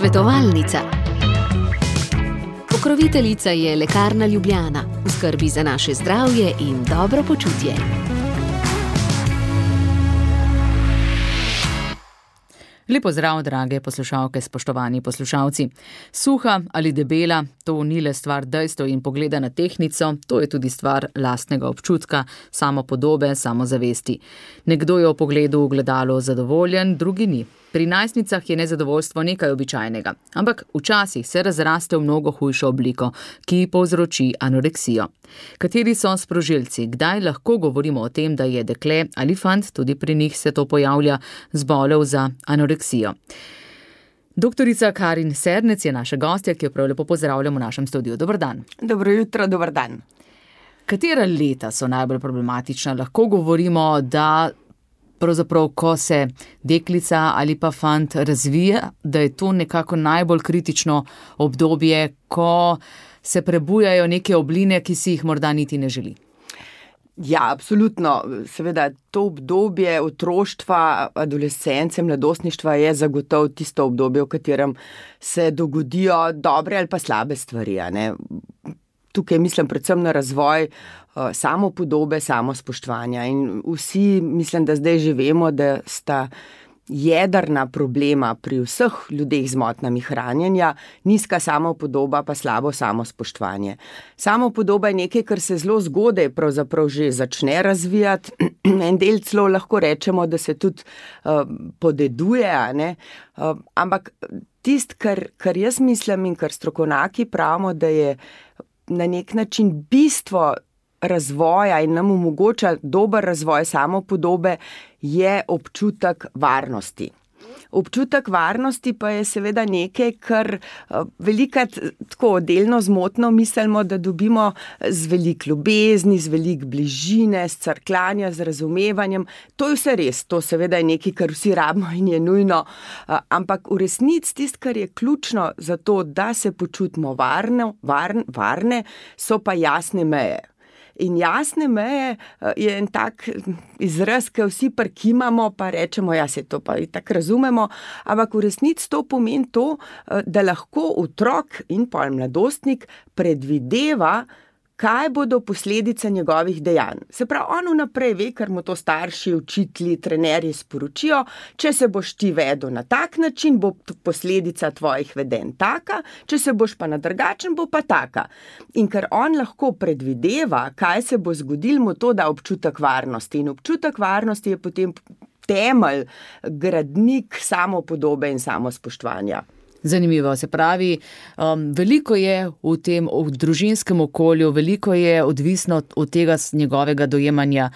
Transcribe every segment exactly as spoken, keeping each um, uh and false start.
Svetovalnica. Pokroviteljica je Lekarna Ljubljana, v skrbi za naše zdravje in dobro počutje. Lepo zdrav, drage poslušalke, spoštovani poslušalci. Suha ali debela, to ni le stvar dejstev in pogleda na tehtnico, to je tudi stvar lastnega občutka, samopodobe, samozavesti. Nekdo je v pogledu v gledalo zadovoljen, drugi ni. Pri najstnicah je nezadovoljstvo nekaj običajnega, ampak včasih se razraste v mnogo hujšo obliko, ki povzroči anoreksijo. Kateri so sprožilci? Kdaj lahko govorimo o tem, da je dekle ali fant, tudi pri njih se to pojavlja, zbolel za anoreksijo? Doktorica Karin Sernec je naša gostja, ki jo prav lepo pozdravljamo v našem studiu. Dober dan. Dobro jutro, dober dan. Katera leta so najbolj problematična? Lahko govorimo, da pravzaprav, ko se deklica ali pa fant razvija, da je to nekako najbolj kritično obdobje, ko se prebujajo neke obline, ki si jih morda niti ne želi. Ja, absolutno. Seveda, to obdobje otroštva, adolescence, mladostništva je zagotovo tisto obdobje, v katerem se dogodijo dobre ali pa slabe stvari, a ne? Tukaj mislim predvsem na razvoj uh, samopodobe, samospoštovanja in vsi mislim, da zdaj že vemo, da sta jedrna problema pri vseh ljudeh z motnjami hranjenja, nizka samopodoba pa slabo samospoštovanje. Samopodoba je nekaj, kar se zelo zgodaj pravzaprav že začne razvijati, en del celo lahko rečemo, da se tudi uh, podeduje, a ne? Uh, ampak tisto, kar, kar jaz mislim in kar strokovnjaki pravimo, da je na nek način bistvo razvoja in nam omogoča dober razvoj samopodobe, je občutek varnosti. Občutek varnosti pa je seveda nekaj, kar velikrat tako delno zmotno mislimo, da dobimo z veliko ljubezni, z veliko bližine, z crkljanja, z razumevanjem. To je vse res, to seveda je nekaj, kar vsi rabimo in je nujno, ampak v resnici tisto, kar je ključno za to, da se počutimo varne, varne, varne, so pa jasne meje. In jasne meje je en tak izraz, ki vsi prikimamo, pa rečemo, ja, se to pa i tako razumemo, ampak v resnici to pomeni to, da lahko otrok in pol mladostnik predvideva, kaj bodo posledice njegovih dejanj. Se pravi, on vnaprej ve, ker mu to starši, učitelji, trenerji sporočijo, če se boš ti vedel na tak način, bo posledica tvojih vedenj taka, če se boš pa na drugačen, bo pa taka. In ker on lahko predvideva, kaj se bo zgodil, mu to da občutek varnosti. In občutek varnosti je potem temelj, gradnik samopodobe in samospoštovanja. Zanimivo, se pravi, um, veliko je v tem v družinskem okolju, veliko je odvisno od tega njegovega dojemanja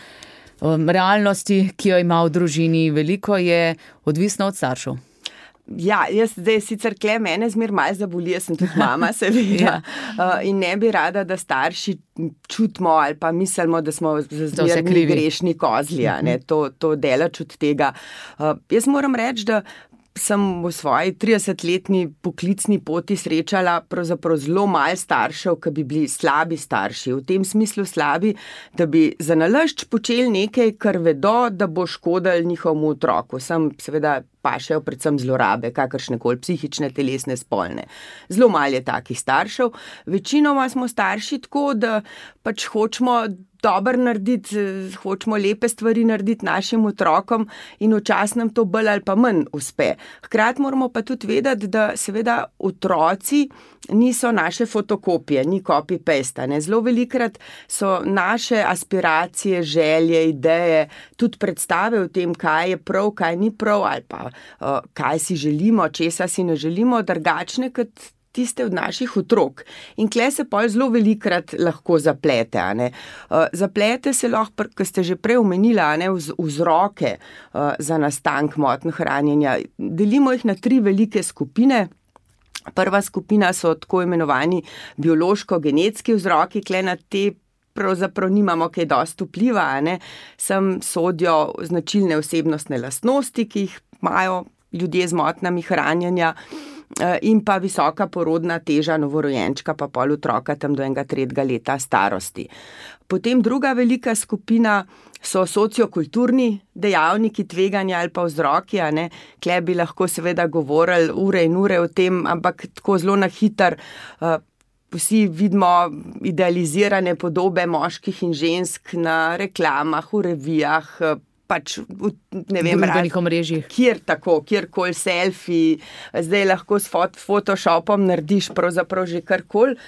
um, realnosti, ki jo ima v družini, veliko je odvisno od staršev. Ja, jaz zdaj sicer kle mene zmer malo zaboli, jaz sem tudi mama, seveda, ja. uh, in ne bi rada, da starši čutimo ali pa mislimo, da smo zmerni grešni kozli, a ne, to, to delač od tega. Uh, jaz moram reči, da sem v svoji tridesetletni poklicni poti srečala pravzaprav zelo malo staršev, ki bi bili slabi starši. V tem smislu slabi, da bi za nalašč počeli nekaj, kar vedo, da bo škodilo njihovemu otroku. Sem seveda pašejo predvsem zlorabe, kakršnekoli psihične, telesne, spolne. Zelo malo je takih staršev. Večinoma smo starši tako, da pač hočemo dobro narediti, hočemo lepe stvari narediti našim otrokom in včasih nam to bolj ali pa manj uspe. Hkrati moramo pa tudi vedeti, da seveda otroci niso naše fotokopije, ni copy-paste. Ne? Zelo velikrat so naše aspiracije, želje, ideje, tudi predstave o tem, kaj je prav, kaj ni prav ali pa uh, kaj si želimo, česa si ne želimo, drugačne kot tiste od naših otrok. In kle se pol zelo velikrat lahko zaplete. A ne? Uh, zaplete se lahko, ker ste že prej omenila, a ne, vz, vzroke uh, za nastanek motnj hranjenja. Delimo jih na tri velike skupine. Prva skupina so tako imenovani biološko-genetski vzroki, kle na te pravzaprav nimamo kaj dosti vpliva, a ne? Sem sodijo značilne osebnostne lastnosti, ki jih imajo ljudje z motnjami hranjenja. in pa visoka porodna teža novorojenčka, pa pol otroka tam do enega tretjega leta starosti. Potem druga velika skupina so sociokulturni dejavniki tveganja ali pa vzroki, a ne. Tle bi lahko seveda govorili ure in ure o tem, ampak tako zelo na hiter. Vsi vidimo idealizirane podobe moških in žensk na reklamah, v revijah, pač v, ne vem, družbenih omrežjih. Kjer tako, kjerkoli selfie, zdaj lahko s fot- Photoshopom narediš pravzaprav že karkoli.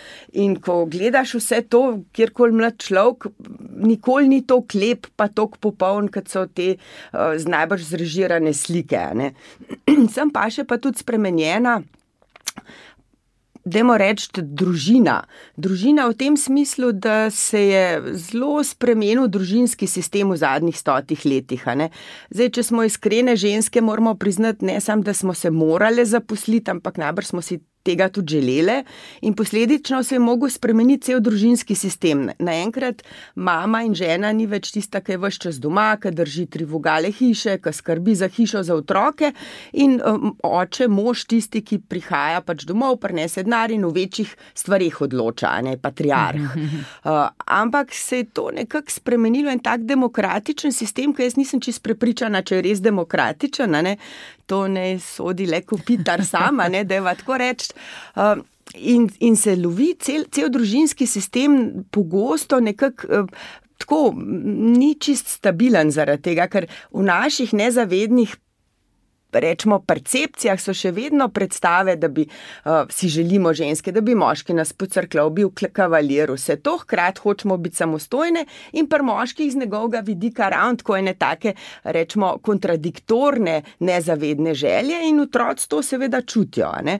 In ko gledaš vse to, kjerkoli mlad človek, nikoli ni to lep pa toliko popoln, kot so te uh, z najbolj zrežirane slike, ne. Sem pa še pa tudi spremenjena, dajmo reči, družina. Družina v tem smislu, da se je zelo spremenil družinski sistem v zadnjih stotih letih. A ne? Zdaj, če smo iskrene ženske, moramo priznati, ne samo, da smo se morale zaposliti, ampak najbrž smo si tega tudi želele in posledično se je mogel spremeniti cel družinski sistem. Naenkrat mama in žena ni več tista, ki je ves čas doma, ki drži tri vogale hiše, ki skrbi za hišo, za otroke in um, oče, mož tisti, ki prihaja pač domov, prinese denar in v večjih stvarih odloča, ne, patriarh. Uh, ampak se je to nekako spremenilo in tak demokratičen sistem, ki jaz nisem čisto prepričana, če je res demokratičen, ne, to ne sodi le kopitar sama, ne, da je va tako reči. Uh, in, in se lovi cel, cel družinski sistem pogosto nekako uh, tako ni čist stabilen zaradi tega, ker v naših nezavednih rečemo, percepcijah so še vedno predstave, da bi uh, si želimo ženske, da bi moški nas pocrklal, bil kavalir, vse to, hkrati hočemo biti samostojne in pri moških z njegovega vidika ravno tako ene take, rečemo, kontradiktorne, nezavedne želje in otroci to seveda čutijo. Ne?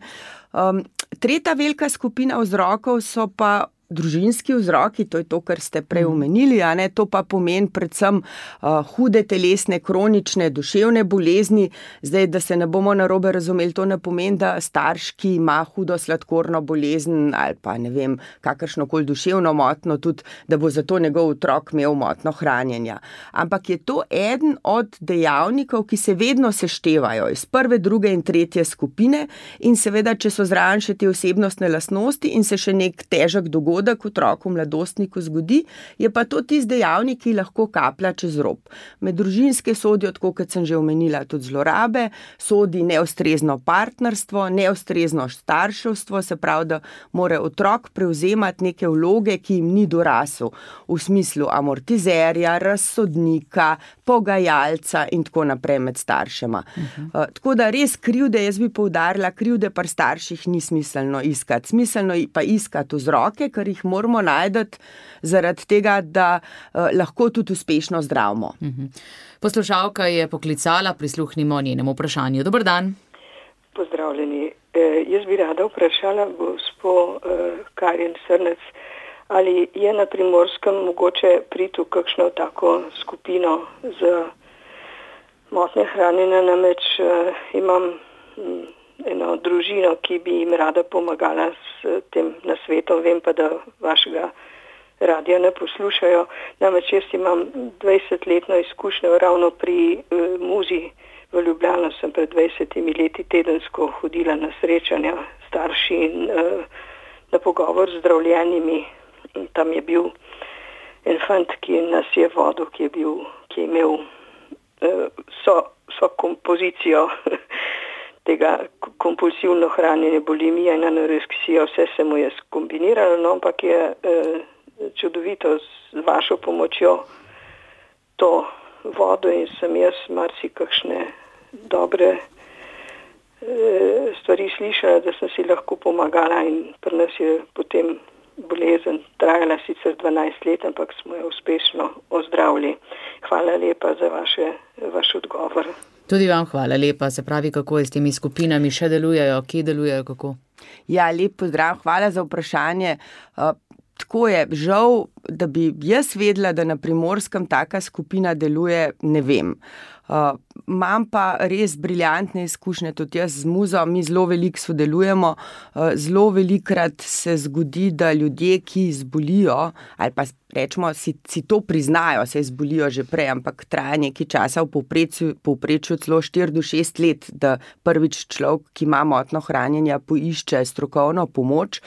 Um, tretja velika skupina vzrokov so pa družinski vzroki, to je to, kar ste prej omenili, a ne, to pa pomeni predvsem uh, hude telesne, kronične, duševne bolezni. Zdaj, da se ne bomo narobe razumeli, to ne pomeni, da starš, ki ima hudo sladkorno bolezen ali pa ne vem, kakršnokoli duševno motno, tudi, da bo zato njegov otrok imel motno hranjenja. Ampak je to eden od dejavnikov, ki se vedno seštevajo iz prve, druge in tretje skupine in seveda, če so zraven še te osebnostne lastnosti in se še nek težek dogodek otroku, mladostniku zgodi, je pa to tisti dejavnik, ki lahko kaplja čez rob. Med družinske sodijo, tako kot sem že omenila, tudi zlorabe, sodi neustrezno partnerstvo, neustrezno starševstvo, se pravi, da mora otrok prevzemati neke vloge, ki jim ni dorasel, v smislu amortizerja, razsodnika, pogajalca in tako naprej med staršema. Uh-huh. Uh, tako da res krivde, jaz bi poudarila, krivde pri starših ni smiselno iskati. Smiselno pa iskati vzroke, ker jih moramo najdeti zaradi tega, da uh, lahko tudi uspešno zdravimo. Uh-huh. Poslušalka je poklicala, prisluhnimo njenemu vprašanju. Dober dan. Pozdravljeni. E, jaz bi rada vprašala gospo e, Karin Srnec, ali je na Primorskem mogoče priti v kakšno tako skupino z motnje hranjenja, namreč e, imam m, eno družino, ki bi jim rada pomagala s tem nasvetom, vem pa, da vašega radija ne poslušajo. Namreč jaz imam dvajsetletno izkušnjo ravno pri e, muzi v Ljubljano, sem pred dvajsetimi leti tedensko hodila na srečanja starši in e, na pogovor z zdravljenimi. In tam je bil en fant, ki nas je vodil, ki je, bil, ki je imel e, so, so kompozicijo tega kompulsivno hranjenje, bulimija in anoreksija, vse se mu je skombiniralo, no, ampak je eh, čudovito z vašo pomočjo to vodo in sem jaz marsi kakšne dobre eh, stvari slišala, da sem si lahko pomagala in pri nas je potem bolezen trajala sicer dvanajst let, ampak smo jo uspešno ozdravili. Hvala lepa za vaše, vaš odgovor. Tudi vam hvala lepa, se pravi, kako je s temi skupinami, še delujejo, kje delujejo, kako? Ja, lep pozdrav, hvala za vprašanje. Uh, tako je, žal da bi jaz vedela, da na Primorskem taka skupina deluje, ne vem. Uh, imam pa res briljantne izkušnje, tudi jaz z muzo, mi zelo veliko sodelujemo, uh, zelo velikrat se zgodi, da ljudje, ki zbolijo, ali pa rečemo, si, si to priznajo, se zbolijo že prej, ampak traja nekaj časa, v povprečju, povprečju celo štiri do šest let, da prvič človek, ki ima motnjo hranjenja, poišče strokovno pomoč.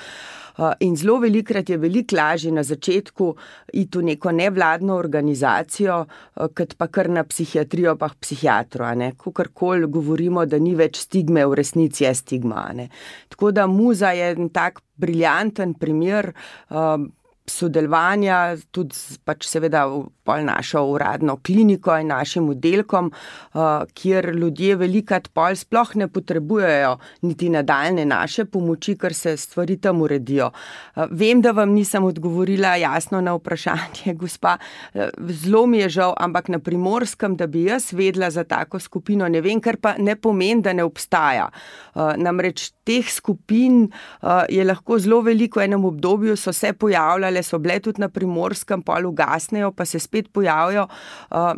In zelo velikrat je veliko lažje na začetku iti v neko nevladno organizacijo, kot pa kar na psihiatrijo pa k psihiatru. Kakorkoli govorimo, da ni več stigme, v resnici je stigma. Ne? Tako da muza je en tak briljanten primer sodelovanja, tudi pač seveda pol našo uradno kliniko in našim oddelkom, kjer ljudje velikrat pol sploh ne potrebujejo niti nadaljne naše pomoči, ker se stvari tam uredijo. Vem, da vam nisem odgovorila jasno na vprašanje, gospa, zelo mi je žal, ampak na Primorskem, da bi jaz vedela za tako skupino, ne vem, ker pa ne pomeni, da ne obstaja. Namreč teh skupin je lahko zelo veliko, v enem obdobju so se pojavljale, so bile tudi na Primorskem, pol ugasnejo, pa se spet pojavijo, uh,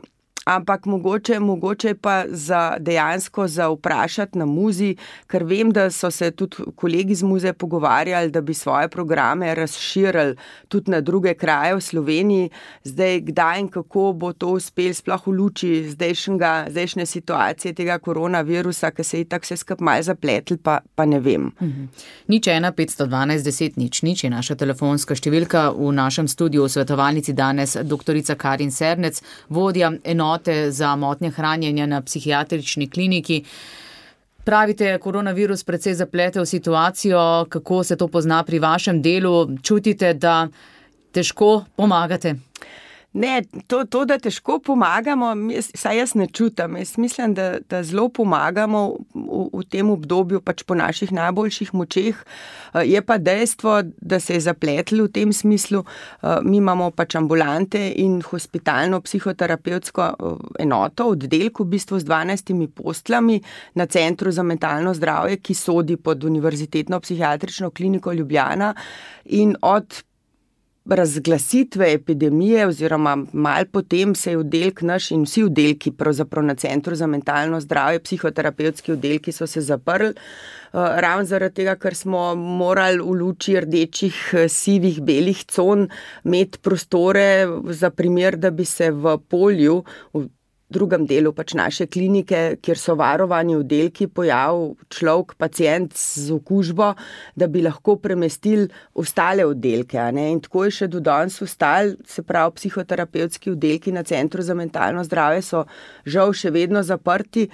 ampak mogoče, mogoče pa za dejansko za vprašati na muzi, ker vem, da so se tudi kolegi z muze pogovarjali, da bi svoje programe razširili tudi na druge kraje v Sloveniji. Zdaj, kdaj in kako bo to uspel sploh v luči zdajšnjega, zdajšnje situacije tega koronavirusa, ki se je tako vse skupaj malo zapletli, pa, pa ne vem. Mhm. Nič ena petsto dvanajst deset nič nič je naša telefonska številka. V našem studiu v svetovalnici danes doktorica Karin Sernec, vodja enote za motnje hranjenja na psihiatrični kliniki. Pravite, koronavirus precej zaplete v situacijo, kako se to pozna pri vašem delu, čutite, da težko pomagate? Ne, to, to, da težko pomagamo, saj jaz ne čutam. Jaz mislim, da, da zelo pomagamo v, v tem obdobju pač po naših najboljših močeh. Je pa dejstvo, da se je zapletlo v tem smislu. Mi imamo pač ambulante in hospitalno psihoterapevtsko enoto, oddelek v bistvu z dvanajstimi postelami na Centru za mentalno zdravje, ki sodi pod Univerzitetno psihiatrično kliniko Ljubljana, in od razglasitve epidemije oziroma malo potem se je oddelek naš in vsi oddelki pravzaprav na Centru za mentalno zdravje, psihoterapevtski oddelki so se zaprli, ravno zaradi tega, ker smo morali v luči rdečih, sivih, belih con imeti prostore za primer, da bi se v polju, v drugem delu pač naše klinike, kjer so varovani oddelki, pojavil človek, pacient z okužbo, da bi lahko premestili ostale oddelke. A ne? In tako je še do danes ostali, se pravi, psihoterapevtski oddelki na Centru za mentalno zdravje so žal še vedno zaprti.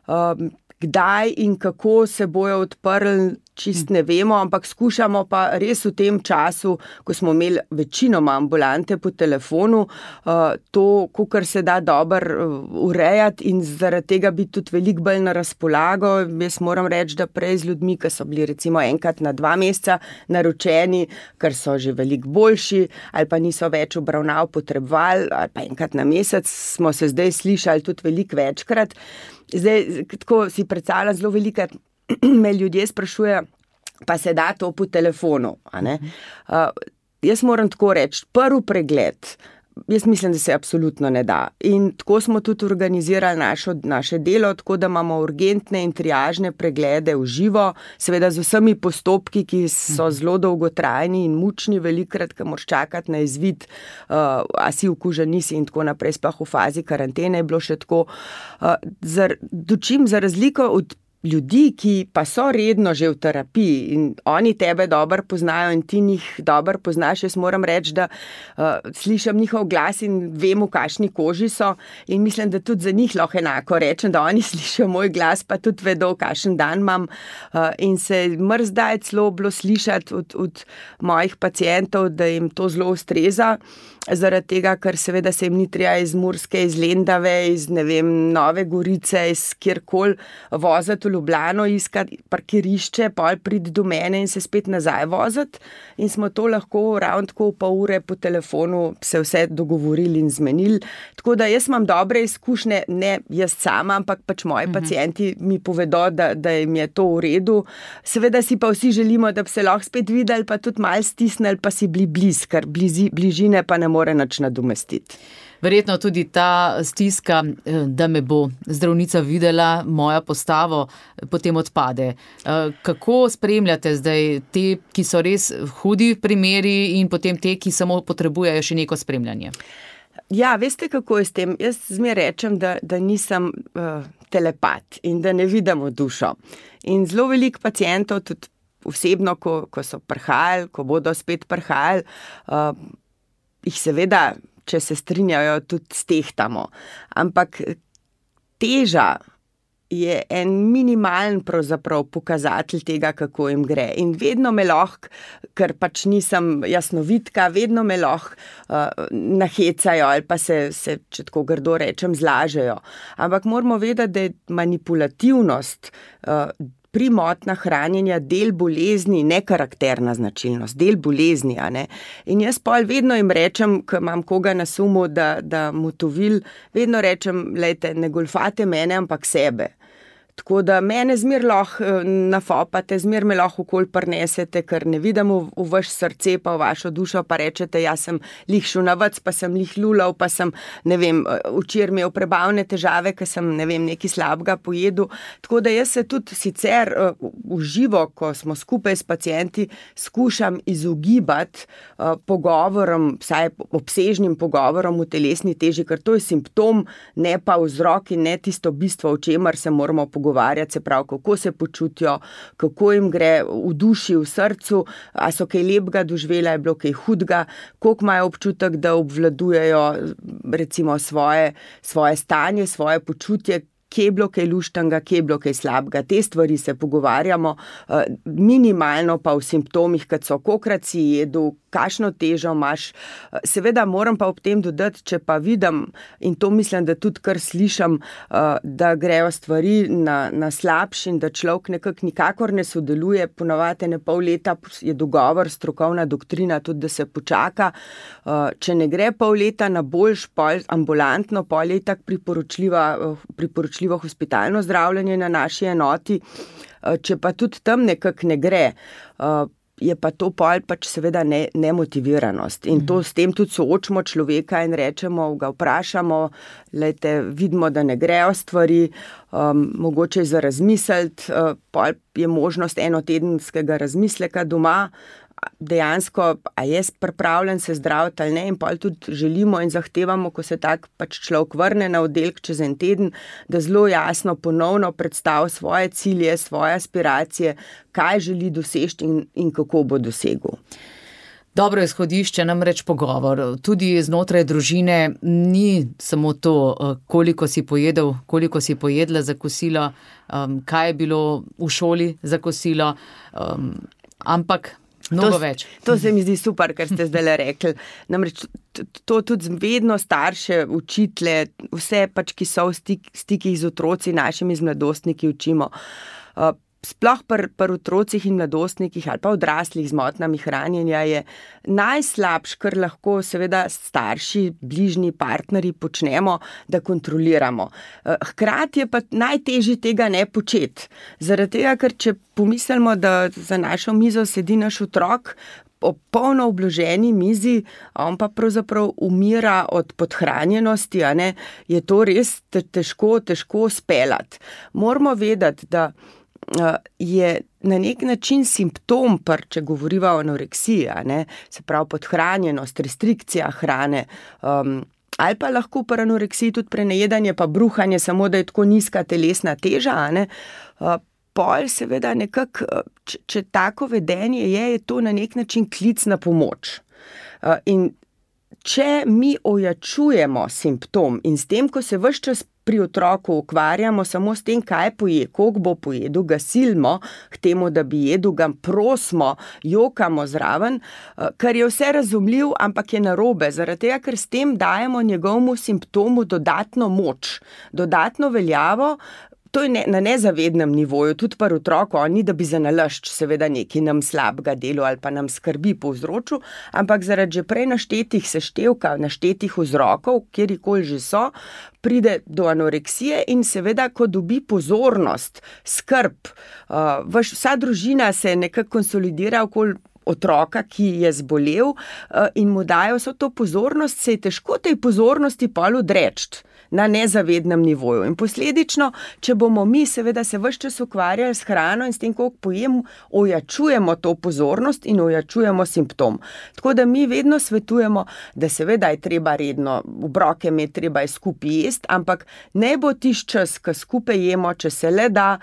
Um, Kdaj in kako se bojo odprli, čist ne vemo, ampak skušamo pa res v tem času, ko smo imeli večinoma ambulante po telefonu, to, kakor se da dobro urejati in zaradi tega biti tudi veliko bolj na razpolago. Jaz moram reči, da prej z ljudmi, ki so bili recimo enkrat na dva meseca naročeni, ker so že veliko boljši ali pa niso več obravnav potrebovali, ali pa enkrat na mesec, smo se zdaj slišali tudi veliko večkrat. Zdaj, tako si predstavljam, zelo veliko me ljudje sprašujejo, pa se da to po telefonu. A ne? Uh, jaz moram tako reči, prvi pregled, jaz mislim, da se absolutno ne da. In tako smo tudi organizirali našo, naše delo, tako da imamo urgentne in triažne preglede v živo, seveda z vsemi postopki, ki so zelo dolgotrajni in mučni, velikrat, ki moraš čakati na izvid, uh, a si okužen, nisi in tako naprej, sploh v fazi karantene je bilo še tako. Uh, zar, dočim za razliko od ljudi, ki pa so redno že v terapiji in oni tebe dobro poznajo in ti njih dobro poznaš, jaz moram reči, da uh, slišam njihov glas in vem, v kakšni koži so in mislim, da tudi za njih lahko enako rečem, da oni slišijo moj glas, pa tudi vedo, kakšen dan imam uh, in se mrzdaj celo bilo slišati od, od mojih pacientov, da jim to zelo ustreza. zaradi tega, ker seveda se jim ni treba iz Murske, iz Lendave, iz ne vem, Nove Gorice, iz kjerkoli voziti v Ljubljano, iskati parkirišče, pol priti do mene in se spet nazaj voziti in smo to lahko ravno tako v pol ure po telefonu se vse dogovorili in zmenili. Tako da jaz imam dobre izkušnje, ne jaz sama, ampak pač moji mhm. pacienti mi povedo, da, da jim je to v redu. Seveda si pa vsi želimo, da bi se lahko spet videli, pa tudi malo stisnili, pa si bili bliz, ker blizi, bližine pa ne more nič nadomestiti. Verjetno tudi ta stiska, da me bo zdravnica videla, moja postavo, potem odpade. Kako spremljate zdaj te, ki so res hudi primeri in potem te, ki samo potrebujejo še neko spremljanje? Ja, veste, kako je s tem? Jaz zmer rečem, da, da nisem uh, telepat in da ne vidim v dušo. In zelo veliko pacientov, tudi osebno, ko, ko so prihajali, ko bodo spet prihajali, uh, jih seveda, če se strinjajo, tudi stehtamo. Ampak teža je en minimalen pravzaprav pokazatelj tega, kako jim gre. In vedno me lahko, ker pač nisem jasnovidka, vedno me lahko uh, nahecajo ali pa se, se, če tako grdo rečem, zlažejo. Ampak moramo vedeti, da je manipulativnost uh, pri motnjah hranjenja del bolezni, ne karakterna značilnost, del bolezni. A ne? In jaz pol vedno jim rečem, ko imam koga na sumu, da, da motovil, vedno rečem, lejte, ne golfate mene, ampak sebe. Tako da mene zmer lahko nafopate, zmer me lahko okoli prinesete, ker ne vidim v, v vaš srce pa v vašo dušo, pa rečete, jaz sem lih šunavac, pa sem lih lulav, pa sem, ne vem, včeraj imel prebavne težave, ker sem, ne vem, nekaj slabega pojedel. Tako da jaz se tudi sicer v živo, ko smo skupaj s pacienti, skušam izogibati uh, pogovorom, vsaj obsežnim pogovorom v telesni teži, ker to je simptom, ne pa vzrok in ne tisto bistvo, o čemer se moramo pogovoriti. Govarjati se prav, kako se počutijo, kako jim gre v duši, v srcu, a so kaj lepega doživela, je bilo kaj hudega, koliko imajo občutek, da obvladujejo recimo svoje, svoje stanje, svoje počutje, kje je bilo kaj luštanga, kje je bilo kaj slabega. Te stvari se pogovarjamo, minimalno pa v simptomih, kad so kokrat si jedu, kakšno težo imaš. Seveda moram pa ob tem dodati, če pa vidim, in to mislim, da tudi kar slišam, da grejo stvari na, na slabši in da človek nekako nikakor ne sodeluje, ponavadi ne pol leta je dogovor, strokovna doktrina tudi, da se počaka. Če ne gre pol leta na boljš, pol ambulantno, pol je tak priporočljiva, priporočljivo hospitalno zdravljenje na naši enoti. Če pa tudi tam nekako ne gre, je pa to pol pač seveda ne, nemotiviranost. In to s tem tudi soočimo človeka in rečemo, ga vprašamo, lejte, vidimo, da ne grejo stvari, um, mogoče za razmisliti, uh, pol je možnost enotedenskega razmisleka doma, dejansko, a je pripravljen se zdraviti ali ne, in pol tudi želimo in zahtevamo, ko se tak pač človek vrne na oddelek čez en teden, da zelo jasno ponovno predstavi svoje cilje, svoje aspiracije, kaj želi doseči in, in kako bo dosegel. Dobro izhodišče, namreč pogovor. Tudi znotraj družine ni samo to, koliko si pojedel, koliko si pojedla za kosilo, kaj je bilo v šoli za kosilo, ampak mnogo to, več. To se mi zdi super, kar ste zdaj rekli. Namreč to tudi vedno starše, učitelje, vse pač, ki so v stik, stikih z otroci, našimi z mladostniki učimo. Sploh pri, pri otrocih in mladostnikih ali pa odraslih z motnjami hranjenja je najslabš, kar lahko seveda starši, bližnji partnerji počnemo, da kontroliramo. Hkrati je pa najtežje tega ne početi. Zaradi tega, ker če pomislimo, da za našo mizo sedi naš otrok, ob polno obloženi mizi, on pa pravzaprav umira od podhranjenosti, a ne, je to res težko, težko speljati. Moramo vedeti, da je na nek način simptom, par, če govoriva o anoreksiji, ne, se pravi podhranjenost, restrikcija hrane, um, ali pa lahko pri anoreksiji tudi prenajedanje pa bruhanje, samo da je tako nizka telesna teža, ne, uh, pol seveda nekako, če, če tako vedenje je, je to na nek način klic na pomoč. Uh, in če mi ojačujemo simptom in s tem, ko se ves čas pri otroku ukvarjamo samo s tem, kaj poje, koliko bo pojedel, ga silimo k temu, da bi jedel, ga prosimo, jokamo zraven, kar je vse razumljiv, ampak je narobe, zaradi tega, ker s tem dajemo njegovemu simptomu dodatno moč, dodatno veljavo. To je ne, na nezavednem nivoju, tudi pri otroku, ni da bi za nalašč seveda nekaj nam slabega delo ali pa nam skrbi povzročil, ampak zaradi že prej naštetih seštevka, naštetih vzrokov, kjerikoli že so, pride do anoreksije in seveda, ko dobi pozornost, skrb, uh, vaš, vsa družina se nekako konsolidira okoli otroka, ki je zbolel uh, in mu dajo vso to pozornost, se je težko tej pozornosti pol odreči na nezavednem nivoju. In posledično, če bomo mi seveda se ves čas ukvarjali s hrano in s tem, koliko pojemo, ojačujemo to pozornost in ojačujemo simptom. Tako da mi vedno svetujemo, da seveda je treba redno, obroke imeti, treba je skupaj jesti, ampak ne bo tisti čas, ko skupaj jemo, če se le da,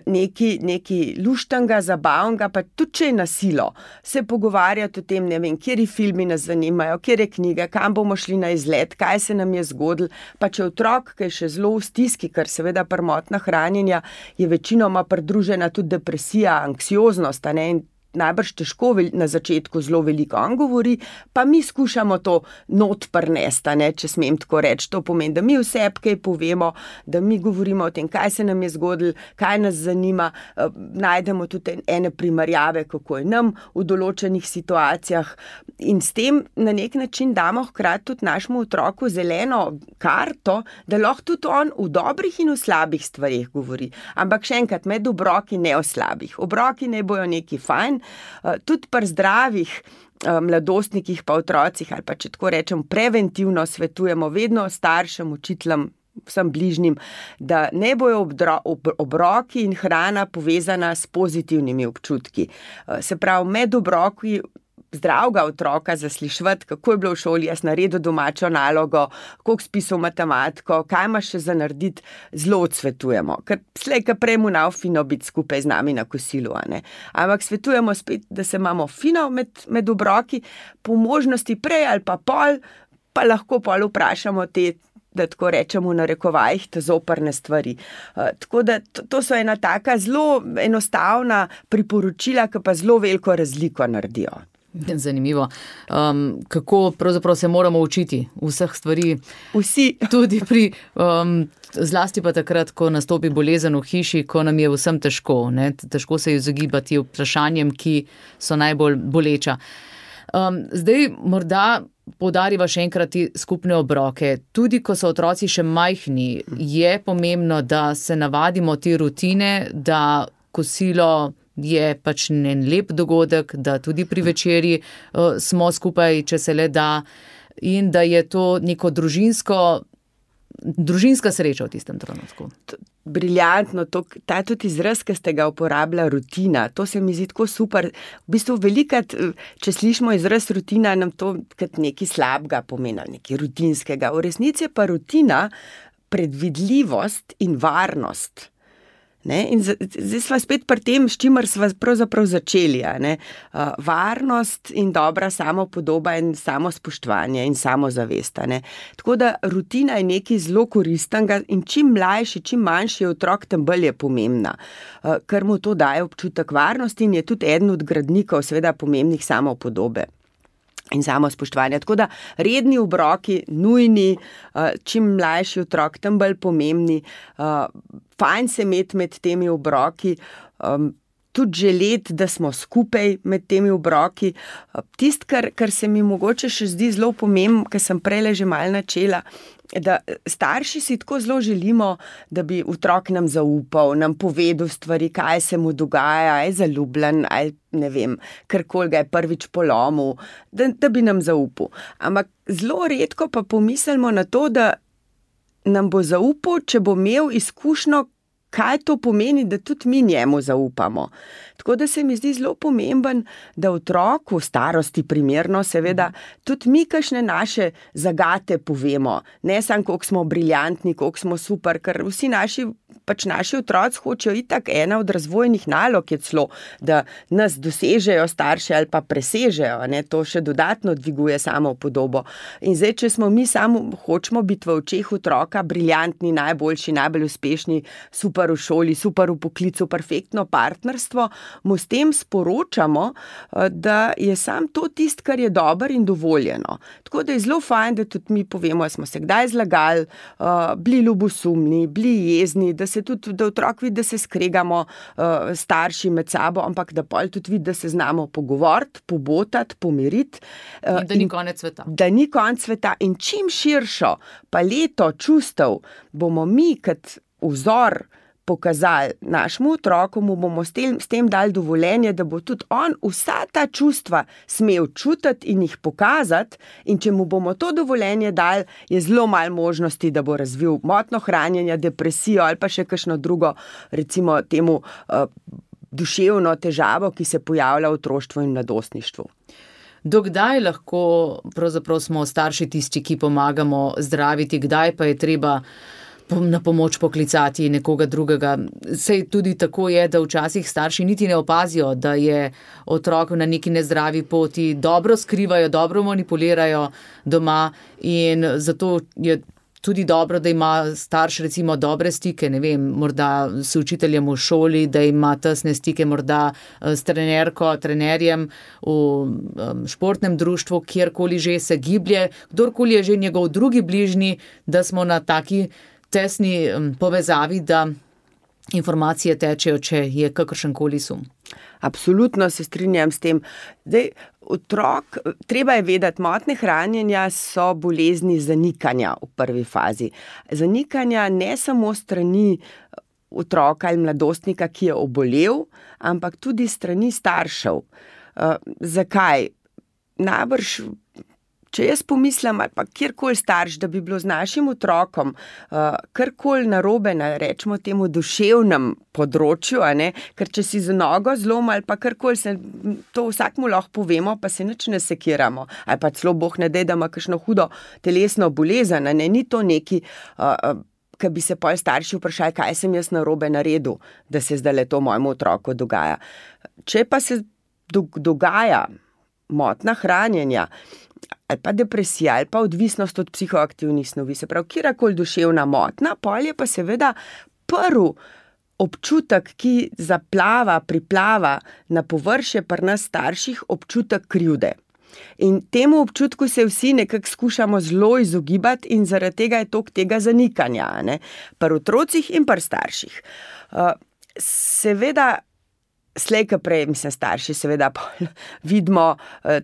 neki, neki luštanga, zabavnega, pa tudi če je na silo, se pogovarjati o tem, ne vem, kjeri filmi nas zanimajo, kjeri knjige, kam bomo šli na izlet, kaj se nam je zgodilo, pa če otrok, ki je še zelo v stiski, ker seveda prvotna hranjenja je večinoma pridružena tudi depresija, anksioznost, a ne, in najbrž težko na začetku zelo veliko on govori, pa mi skušamo to not prnesti, ne, če smem tako reči. To pomeni, da mi vse kaj povemo, da mi govorimo o tem, kaj se nam je zgodilo, kaj nas zanima, najdemo tudi ene primerjave, kako je nam v določenih situacijah in s tem na nek način damo hkrati tudi našemu otroku zeleno karto, da lahko tudi on v dobrih in v slabih stvarih govori. Ampak še enkrat, med obroki ne o slabih. Obroki ne bojo neki fajn, tudi pri zdravih mladostnikih pa otrocih ali pa če tako rečem preventivno svetujemo vedno staršem, učiteljem, vsem bližnjim, da ne bojo obdro, ob, obroki in hrana povezana s pozitivnimi občutki. Se pravi, med obroki zdravega otroka zaslišati, kako je bilo v šoli, jaz naredil domačo nalogo, koliko spisal matematiko, kaj imaš še za narediti, zelo odsvetujemo. Ker slej, ka prej mu nav fino biti skupaj z nami na kosilu, a ne. Ampak svetujemo spet, da se imamo fino med, med obroki, po možnosti prej ali pa pol, pa lahko pol vprašamo te, da tako rečemo v narekovajih, te zoprne stvari. Uh, tako da to, to so ena taka zelo enostavna priporočila, ki pa zelo veliko razliko naredijo. Zanimivo. Um, kako pravzaprav se moramo učiti vseh stvari? Vsi. Tudi pri, um, zlasti pa takrat, ko nastopi bolezen v hiši, ko nam je vsem težko, ne? Težko se izogibati vprašanjem, ki so najbolj boleča. Um, zdaj morda poudariva še enkrat skupne obroke. Tudi, ko so otroci še majhni, je pomembno, da se navadimo te rutine, da kosilo je pač en lep dogodek, da tudi pri večerji uh, smo skupaj, če se le da, in da je to neko družinsko, družinska sreča v tistem trenutku. Briljantno, to, ta tudi izraz, ki ste ga uporabila, rutina, to se mi zdi tako super. V bistvu velikrat, če slišimo izraz rutina, nam to kot nekaj slabega pomeni, nekaj rutinskega. V resnici je pa rutina predvidljivost in varnost. Ne? In zdaj sva spet pri tem, s čimer sva pravzaprav začeli. Ne? Uh, varnost in dobra samopodoba in samospoštovanje in samozavest. Ne? Tako da rutina je nekaj zelo koristnega in čim mlajši, čim manjši je otrok, tem bolj je pomembna. Uh, ker mu to daje občutek varnosti in je tudi eden od gradnikov seveda pomembnih samopodobe in samospoštovanja. Tako da redni obroki, nujni, čim mlajši otrok, tem bolj pomembni, fajn se imeti med temi obroki, tudi želeti, da smo skupaj med temi obroki. Tisto, kar, kar se mi mogoče še zdi zelo pomembno, ker sem prej že malo načela, da starši si tako zelo želimo, da bi otrok nam zaupal, nam povedal stvari, kaj se mu dogaja, je zaljubljen, ali ne vem, karkoli ga je prvič polomil, da, da bi nam zaupal. Ampak zelo redko pa pomislimo na to, da nam bo zaupal, če bo imel izkušnjo, kaj to pomeni, da tudi mi njemu zaupamo. Tako da se mi zdi zelo pomemben, da otroku v starosti primerno, seveda, tudi mi kakšne naše zagate povemo. Ne samo, koliko smo briljantni, koliko smo super, ker vsi naši, pač naši otroci hočejo itak, ena od razvojnih nalog je celo, da nas dosežejo starši ali pa presežejo, ne, to še dodatno dviguje samo podobo. In zdaj, če smo mi samo hočemo biti v očeh otroka briljantni, najboljši, najbolj uspešni, super v šoli, super v poklicu, perfektno partnerstvo, mu s tem sporočamo, da je sam to tist, kar je dobro in dovoljeno. Tako da je zelo fajn, da tudi mi povemo, da smo se kdaj zlagali, bili ljubosumni, bili jezni, da se tudi, da otrok vidi, da se skregamo starši med sabo, ampak da pol tudi vidi, da se znamo pogovoriti, pobotati, pomiriti. In da ni konec sveta. Da ni konec sveta in čim širšo paleto čustev bomo mi kot vzor pokazali našemu otroku, mu bomo s tem, s tem dali dovoljenje, da bo tudi on vsa ta čustva smel čutiti in jih pokazati, in če mu bomo to dovoljenje dali, je zelo malo možnosti, da bo razvil motnjo hranjenja, depresijo ali pa še kakšno drugo, recimo temu uh, duševno težavo, ki se pojavlja v otroštvu in mladostništvu. Dokdaj lahko pravzaprav smo starši tisti, ki pomagamo zdraviti, kdaj pa je treba na pomoč poklicati nekoga drugega. Sej tudi tako je, da včasih starši niti ne opazijo, da je otrok na neki nezdravi poti, dobro skrivajo, dobro manipulirajo doma in zato je tudi dobro, da ima starš recimo dobre stike, ne vem, morda s učiteljem v šoli, da ima tesne stike morda s trenerko, trenerjem v športnem društvu, kjerkoli že se giblje, kdorkoli je že njegov drugi bližnji, da smo na taki tesni povezavi, da informacije tečejo, če je kakršenkoli sum. Absolutno se strinjam s tem. Zdaj, otrok, treba je vedeti, motnje hranjenja so bolezni zanikanja v prvi fazi. Zanikanja ne samo strani otroka ali mladostnika, ki je obolel, ampak tudi strani staršev. Uh, zakaj? Najbrž, če jaz pomislim, ali pa kjerkoli starš, da bi bilo z našim otrokom uh, karkoli narobe na, rečemo temu, duševnem področju, a ne, ker če si z nogo zlom ali pa karkoli, se, to vsakmu lahko povemo, pa se nič ne sekiramo, ali pa celo Bog ne dej, da ima kakšno hudo telesno bolezen, a ne, ni to neki, uh, uh, ki bi se pol starši vprašali, kaj sem jaz narobe naredil, da se zdaj to mojemu otroku dogaja. Če pa se do, dogaja motnja hranjenja, ali pa depresija, ali pa odvisnost od psihoaktivnih snovi, se pravi, kjerkoli duševna motnja, pol je pa seveda prvi občutek, ki zaplava, priplava na površje pri nas starših, občutek krivde. In temu občutku se vsi nekako skušamo zelo izogibati in zaradi tega je toliko tega zanikanja, ne? Pri otrocih in pri starših. Uh, seveda, slej ka prej, mislim, starši seveda vidimo, uh,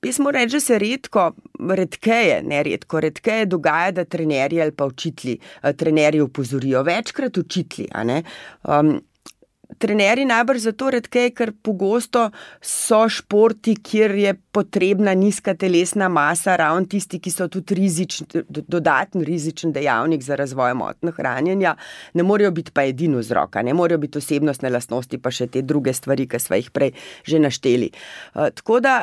jaz moram reči, da se redko, redkeje, ne redko, redkeje dogaja, da trenerji ali pa učitelji, trenerji opozorijo, večkrat učitelji, a ne. Um, trenerji najbrž zato redkeje, ker pogosto so športi, kjer je potrebna nizka telesna masa, ravno tisti, ki so tudi rizični, dodaten rizičen dejavnik za razvoj motnje hranjenja, ne morejo biti pa edini vzrok, ne morejo biti osebnostne lastnosti, pa še te druge stvari, ki sva jih prej že našteli. Uh, tako da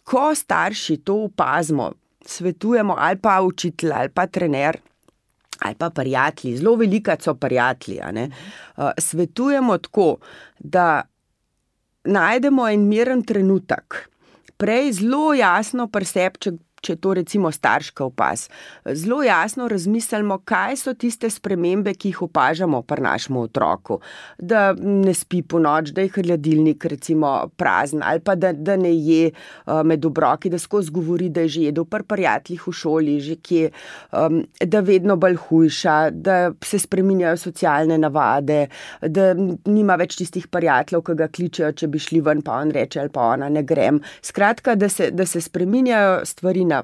ko starši to opazimo, svetujemo ali pa učitelj, ali pa trener, ali pa prijatelji, zelo velika so prijatelji, a ne, uh, svetujemo tako, da najdemo en miren trenutek, prej zelo jasno pri sebi, če, če to recimo starška opaz, zelo jasno razmislimo, kaj so tiste spremembe, ki jih opažamo pri našemu otroku, da ne spi po noč, da je hladilnik recimo prazen, ali pa da, da ne je uh, med obroki, da skozi govori, da je že jedel pri prijateljih v šoli, že kje, um, da vedno bolj hujša, da se spreminjajo socialne navade, da nima več tistih prijateljev, ki ga kličejo, če bi šli ven, pa on reče, ali pa ona, ne grem. Skratka, da se, da se spreminjajo stvari na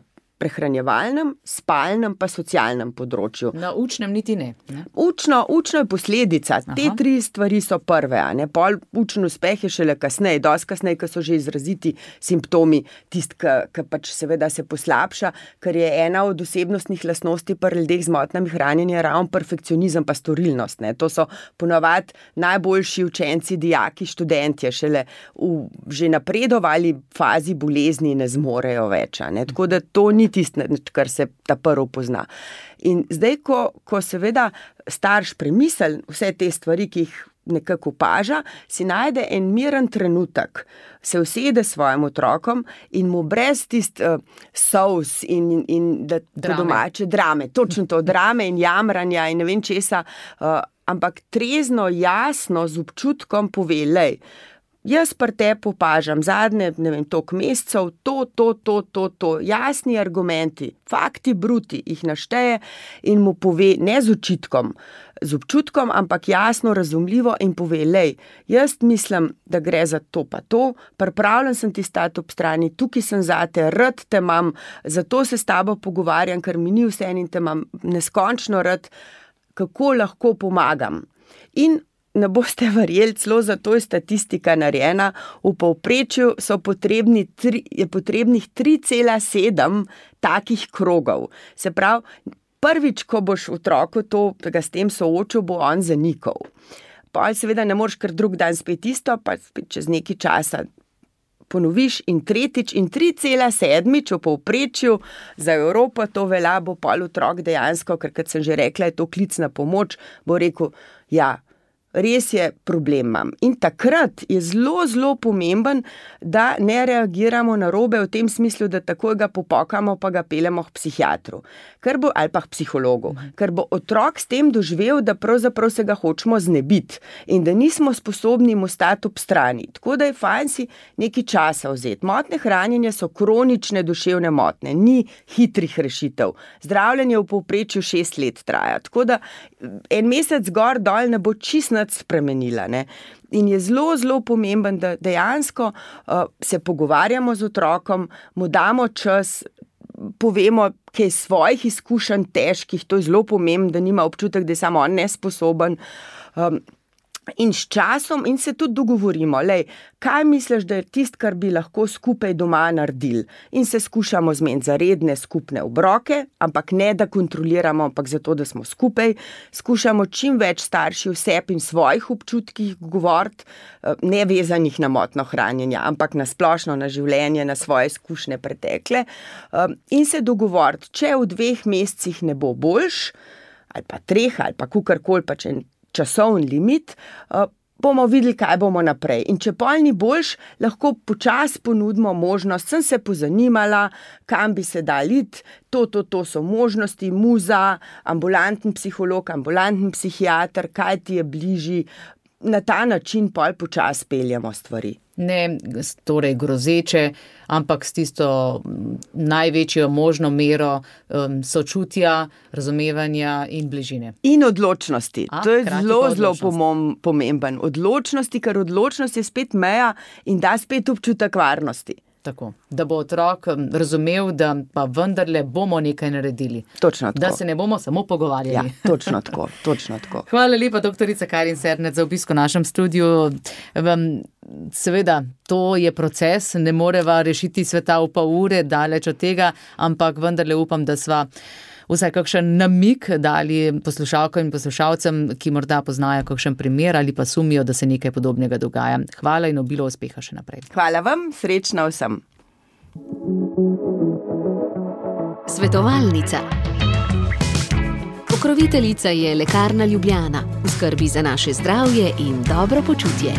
prehranjevalnem, spalnem pa socialnem področju. Na učnem niti ne. ne? Učno, učno je posledica. Aha. Te tri stvari so prve. A ne? Pol učen uspeh je šele kasneje, dosti kasneje, ko so že izraziti simptomi, tist, ki pač seveda se poslabša, ker je ena od osebnostnih lastnosti pri ljudeh z motnjami hranjenja ravno perfekcionizem pa storilnost. Ne? To so ponavadi najboljši učenci, dijaki, študentje, šele v že napredovali fazi bolezni ne zmorejo več. Ne? Tako da to ni tisto, kar se ta prvo pozna. In zdaj, ko, ko seveda starš premisli vse te stvari, ki jih nekako opaža, si najde en miren trenutek, se usede s svojim otrokom in mu brez tist uh, solz in, in, in da, da domače drame, točno to, drame in jamranja in ne vem česa, uh, ampak trezno, jasno, z občutkom pove, lej, jaz pri tebi opažam zadnje, ne vem, toliko mesecev, to, to, to, to, to, jasni argumenti, fakti bruti, jih našteje in mu pove, ne z očitkom, z občutkom, ampak jasno, razumljivo in pove, lej, jaz mislim, da gre za to pa to, pripravljen sem ti stati ob strani, tukaj sem zate, rad te imam, zato se s tabo pogovarjam, ker mi ni vseeno in te imam neskončno rad, kako lahko pomagam. In ne boste verjeli, celo zato je statistika narejena, v povprečju so potrebni tri, je potrebnih tri cela sedem takih krogov. Se pravi, prvič, ko boš otroku to, da ga s tem soočil, bo on zanikal. Pa seveda ne moreš kar drug dan spet isto, pa spet čez nekaj časa ponoviš in tretjič in tri cela sedmič v povprečju za Evropo to velja, bo pol otrok dejansko, ker kot sem že rekla, je to klic na pomoč, bo rekel, ja, res je problem imam. In takrat je zelo, zelo pomemben, da ne reagiramo narobe v tem smislu, da takoj ga popokamo, pa ga peljemo k psihiatru, ker bo, ali pa k psihologu, ker bo otrok s tem doživel, da pravzaprav se ga hočemo znebiti in da nismo sposobni mu stati ob strani. Tako da je fajn si nekaj časa vzeti. Motnje hranjenja so kronične duševne motnje, ni hitrih rešitev. Zdravljenje v povprečju šest let traja. Tako da en mesec gor dol ne bo čisto spremenila. Ne? In je zelo, zelo pomemben, da dejansko uh, se pogovarjamo z otrokom, mu damo čas, povemo, kaj svojih izkušenj težkih, to je zelo pomembno, da nima občutek, da je samo on nesposoben. Um, In s časom in se tudi dogovorimo, lej, kaj misliš, da je tist, kar bi lahko skupaj doma naredili. In se skušamo zmeniti za redne skupne obroke, ampak ne da kontroliramo, ampak zato, da smo skupaj. Skušamo čim več starši vseb in svojih občutkih govoriti, ne vezanih na motno hranjenje, ampak na splošno, na življenje, na svoje izkušnje pretekle. In se dogovoriti, če v dveh mesecih ne bo boljš, ali pa treh, ali pa kukarkoli, pa če časovni limit, bomo videli, kaj bomo naprej. In če pol ni boljš, lahko počasi ponudimo možnost, sem se pozanimala, kam bi se dal iti, to, to, to so možnosti, muza, ambulanten psiholog, ambulanten psihiater, kaj ti je bližji, na ta način pol počasi peljemo stvari. Ne torej grozeče, ampak s tisto največjo možno mero um, sočutja, razumevanja in bližine. In odločnosti. A, to je zelo, zelo odločnost. pomemben. Odločnosti, ker odločnost je spet meja in da spet občutek varnosti. Tako, da bo otrok razumel, da pa vendarle bomo nekaj naredili. Točno tako. Da se ne bomo samo pogovarjali. Ja, točno tako, točno tako. Hvala lepa, doktorica Karin Sernec, za obisk v našem studiu. Seveda, to je proces, ne moreva rešiti sveta v pol ure, daleč od tega, ampak vendarle upam, da sva vsaj kakšen namig dali poslušalkam in poslušalcem, ki morda poznajo kakšen primer ali pa sumijo, da se nekaj podobnega dogaja. Hvala in obilo uspeha še naprej. Hvala vam, srečno vsem. Svetovalnica. Pokroviteljica je Lekarna Ljubljana, v skrbi za naše zdravje in dobro počutje.